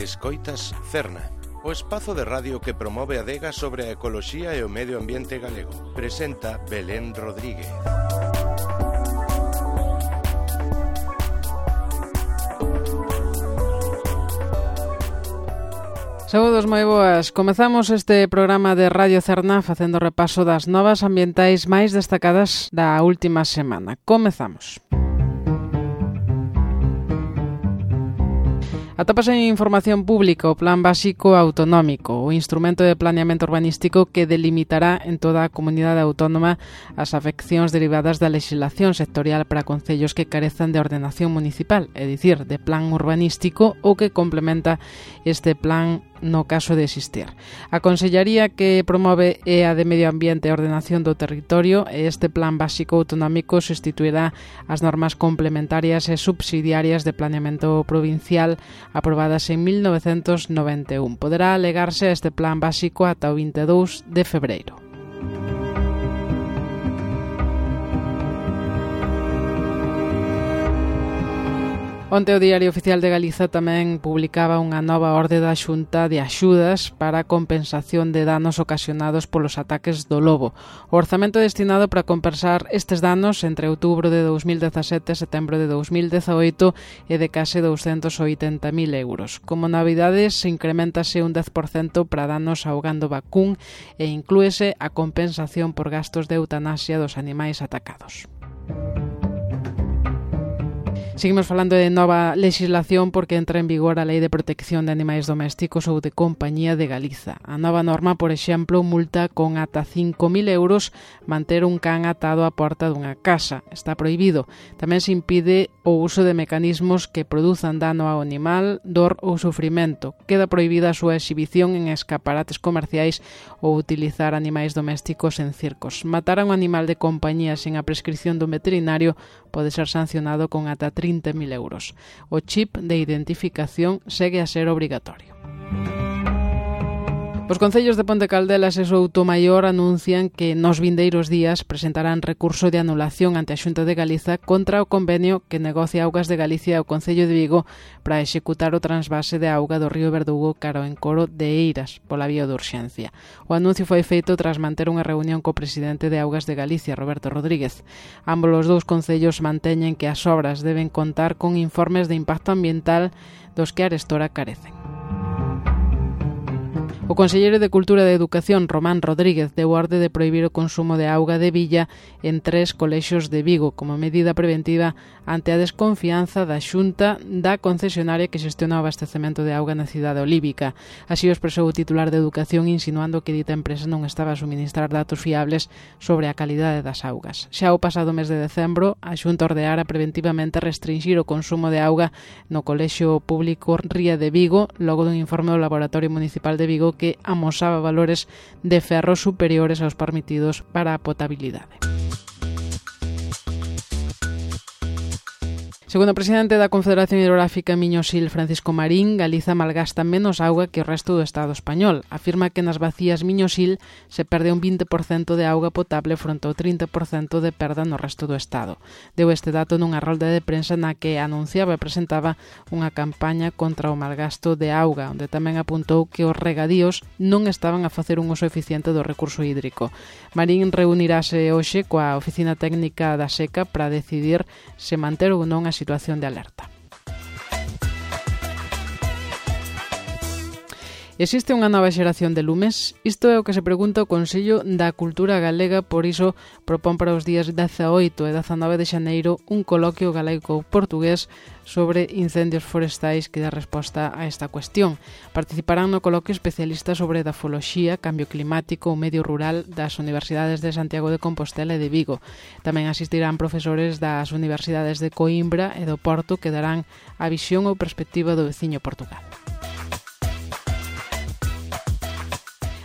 Escoitas Cerna, o espazo de radio que promove a adega sobre a ecoloxía e o medio ambiente galego. Presenta Belén Rodríguez. Saúdos moi boas. Comezamos este programa de Radio Cerna facendo repaso das novas ambientais máis destacadas da última semana. Comezamos. Atópase en información pública o Plan Básico Autonómico, o instrumento de planeamento urbanístico que delimitará en toda a comunidade autónoma as afeccións derivadas da lexislación sectorial para concellos que carezan de ordenación municipal, é dicir, de plan urbanístico ou que complementa este plan no caso de existir. A Consellería que promove é a de Medio Ambiente e Ordenación do Territorio e este Plan Básico Autonómico sustituirá as normas complementarias e subsidiarias de planeamento provincial aprobadas en 1991. Poderá alegarse a este Plan Básico ata o 22 de febreiro. Onte o Diario Oficial de Galiza tamén publicaba unha nova orde da Xunta de axudas para a compensación de danos ocasionados polos ataques do lobo. O orzamento destinado para compensar estes danos entre outubro de 2017 e setembro de 2018 é de case 280.000 euros. Como novidades, se incrementase un 10% para danos ao gando vacún e inclúese a compensación por gastos de eutanasia dos animais atacados. Seguimos falando de nova legislación porque entra en vigor a Lei de Protección de Animais Domésticos ou de Compañía de Galiza. A nova norma, por exemplo, multa con ata 5.000 euros manter un can atado á porta dunha casa. Está prohibido. Tamén se impide o uso de mecanismos que produzan dano ao animal, dor ou sufrimento. Queda prohibida a súa exhibición en escaparates comerciais ou utilizar animais domésticos en circos. Matar a un animal de compañía sen a prescripción dun veterinario pode ser sancionado con ata 30.000 euros. O chip de identificación segue a ser obrigatorio. Os concellos de Ponte Caldelas e Soutomaior anuncian que nos vindeiros días presentarán recurso de anulación ante a Xunta de Galiza contra o convenio que negocia Augas de Galicia e o Concello de Vigo para executar o transvase de auga do río Verdugo cara ao encoro de Eiras pola vía de urxencia. O anuncio foi feito tras manter unha reunión co presidente de Augas de Galicia, Roberto Rodríguez. Ambos os dous concellos manteñen que as obras deben contar con informes de impacto ambiental dos que arestora carecen. O conselleiro de Cultura e de Educación, Román Rodríguez, deu orde de prohibir o consumo de auga de billa en 3 colexios de Vigo como medida preventiva ante a desconfianza da Xunta da concesionaria que xestiona o abastecemento de auga na cidade olívica. Así o expresou o titular de Educación insinuando que dita empresa non estaba a suministrar datos fiables sobre a calidade das augas. Xa o pasado mes de decembro, a Xunta ordeara preventivamente restringir o consumo de auga no colexio público Ría de Vigo, logo dun informe do Laboratorio Municipal de Vigo que amosaba valores de ferro superiores aos permitidos para a potabilidade. Segundo o presidente da Confederación Hidrográfica Miño-Sil, Francisco Marín, Galiza malgasta menos auga que o resto do Estado español. Afirma que nas vacías Miño-Sil se perde un 20% de auga potable fronte ao 30% de perda no resto do Estado. Deu este dato nunha rolda de prensa na que anunciaba e presentaba unha campaña contra o malgasto de auga, onde tamén apuntou que os regadíos non estaban a facer un uso eficiente do recurso hídrico. Marín reunirase hoxe coa Oficina Técnica da Seca para decidir se manter ou non a situación de alerta. Existe unha nova xeración de lumes? Isto é o que se pregunta o Consello da Cultura Galega, por iso propón para os días 18 e 19 de xaneiro un coloquio galaico-portugués sobre incendios forestais que dá resposta a esta cuestión. Participarán no coloquio especialistas sobre edafoloxía, cambio climático ou medio rural das Universidades de Santiago de Compostela e de Vigo. Tamén asistirán profesores das Universidades de Coimbra e do Porto que darán a visión ou perspectiva do veciño Portugal.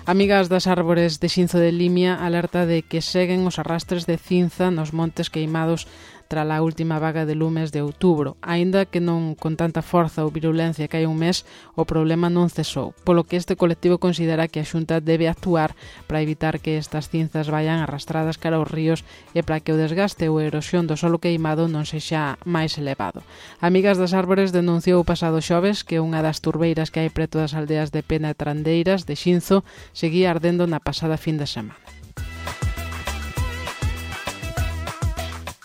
Amigas das árbores de Xinzo de Limia alerta de que seguen os arrastres de cinza nos montes queimados tras a última vaga de lumes de outubro. Aínda que non con tanta forza ou virulencia que hai un mes, o problema non cesou, polo que este colectivo considera que a Xunta debe actuar para evitar que estas cinzas vayan arrastradas cara aos ríos e para que o desgaste ou a erosión do solo queimado non sexa máis elevado. Amigas das Árbores denunciou o pasado xoves que unha das turbeiras que hai preto das aldeas de Pena e Trandeiras de Xinzo seguía ardendo na pasada fin de semana.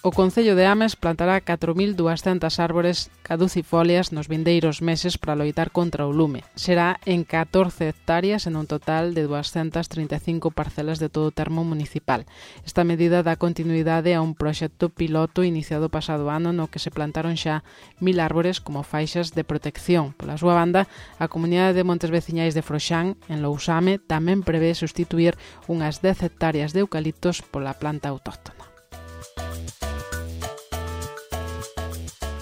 O Concello de Ames plantará 4.200 árbores caducifolias nos vindeiros meses para loitar contra o lume. Será en 14 hectáreas en un total de 235 parcelas de todo o termo municipal. Esta medida dá continuidade a un proxecto piloto iniciado pasado ano no que se plantaron xa 1.000 árbores como faixas de protección. Pola súa banda, a Comunidade de Montes Veciñais de Froxán, en Lousame, tamén prevé sustituir unhas 10 hectáreas de eucaliptos pola planta autóctona.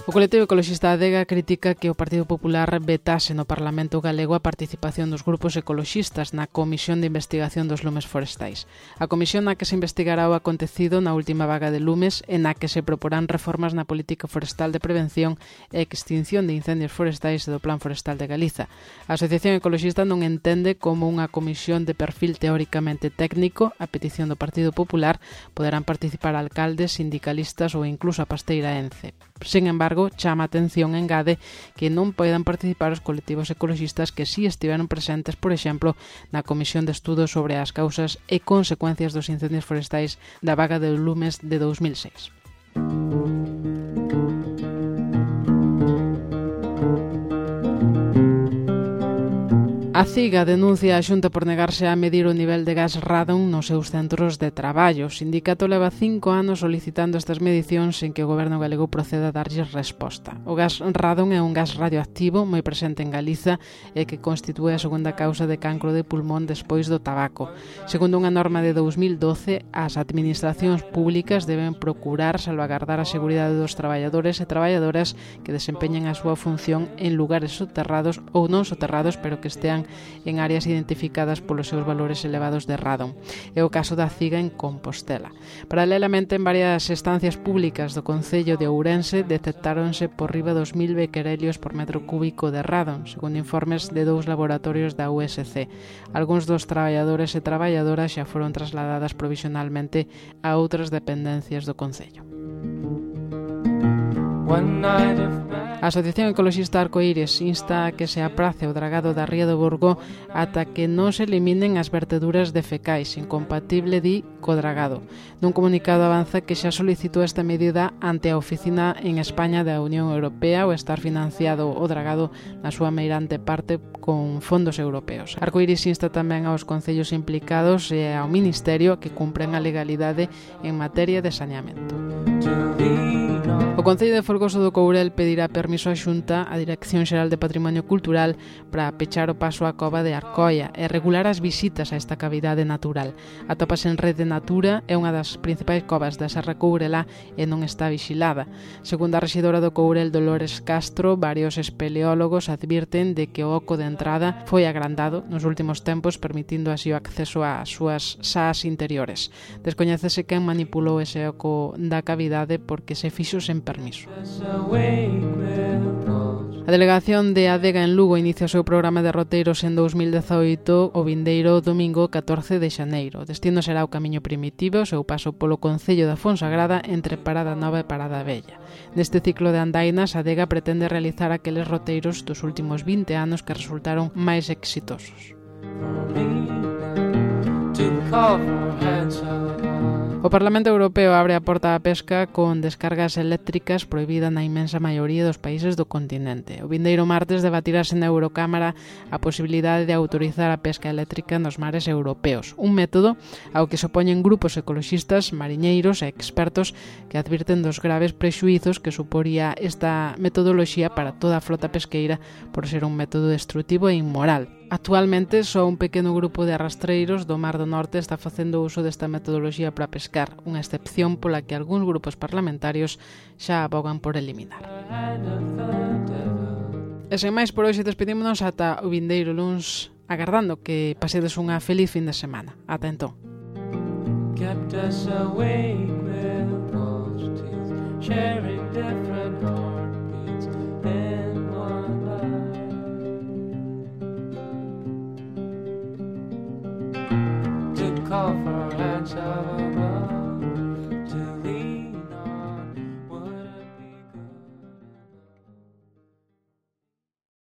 O colectivo ecoloxista Adega critica que o Partido Popular vetase no Parlamento galego a participación dos grupos ecoloxistas na Comisión de Investigación dos Lumes Forestais. A comisión na que se investigará o acontecido na última vaga de lumes e na que se proporán reformas na política forestal de prevención e extinción de incendios forestais e do Plan Forestal de Galiza. A Asociación Ecoloxista non entende como unha comisión de perfil teóricamente técnico, a petición do Partido Popular, poderán participar alcaldes, sindicalistas ou incluso a pasteira ENCE. Sen embargo, chama a atención e engade que non poidan participar os colectivos ecoloxistas que si estiveron presentes, por exemplo, na Comisión de Estudos sobre as causas e consecuencias dos incendios forestais da vaga de lumes de 2006. A CIGA denuncia a Xunta por negarse a medir o nivel de gas radon nos seus centros de traballo. O sindicato leva 5 anos solicitando estas medicións sen que o goberno galego proceda a darlles resposta. O gas radon é un gas radioactivo moi presente en Galiza e que constitúe a segunda causa de cancro de pulmón despois do tabaco. Segundo unha norma de 2012, as administracións públicas deben procurar salvagardar a seguridade dos traballadores e traballadoras que desempeñen a súa función en lugares soterrados ou non soterrados, pero que estean en áreas identificadas polos seus valores elevados de radon. É o caso da CIGA en Compostela. Paralelamente, en varias estancias públicas do Concello de Ourense detectáronse por riba dos 1.000 bequerelios por metro cúbico de radon, segundo informes de 2 laboratorios da USC. Algúns dos traballadores e traballadoras xa foron trasladadas provisionalmente a outras dependencias do Concello. A Asociación Ecoloxista Arcoíris insta a que se aprace o dragado da Ría do Burgo ata que non se eliminen as verteduras de fecais, incompatible di co dragado. Nun comunicado avanza que xa solicitou esta medida ante a oficina en España da Unión Europea o estar financiado o dragado na súa meirante parte con fondos europeos. Arcoíris insta tamén aos concellos implicados e ao Ministerio que cumpren a legalidade en materia de saneamento. O Concello de Folgoso do Courel pedirá permiso á Xunta á Dirección Xeral de Patrimonio Cultural para pechar o paso á cova de Arcoia e regular as visitas a esta cavidade natural. Atópase en Rede Natura, é unha das principais covas da Serra Courelá e non está vigilada. Segundo a rexedora do Courel, Dolores Castro, varios espeleólogos advirten de que o oco de entrada foi agrandado nos últimos tempos, permitindo así o acceso ás súas sás interiores. Descoñécese quen manipulou ese oco da cavidade porque se fixo sen permiso. A delegación de Adega en Lugo inicia o seu programa de roteiros en 2018 o vindeiro domingo 14 de xaneiro. O destino será o Camiño Primitivo, o seu paso polo Concello da Fonsagrada entre Parada Nova e Parada Vella. Neste ciclo de andainas, Adega pretende realizar aqueles roteiros dos últimos 20 anos que resultaron máis exitosos. O Parlamento Europeo abre a porta á pesca con descargas eléctricas prohibida na inmensa maioría dos países do continente. O vindeiro martes debatirase na Eurocámara a posibilidade de autorizar a pesca eléctrica nos mares europeos, un método ao que se opoñen grupos ecoloxistas, mariñeiros e expertos que advirten dos graves prexuízos que suporía esta metodoloxía para toda a flota pesqueira por ser un método destrutivo e inmoral. Actualmente, só un pequeno grupo de arrastreiros do Mar do Norte está facendo uso desta metodoloxía para pescar, unha excepción pola que algúns grupos parlamentarios xa abogan por eliminar. E sen máis, por hoxe despedímonos ata o vindeiro luns, agardando que pasedes unha feliz fin de semana. Ata entón. sharing different homes.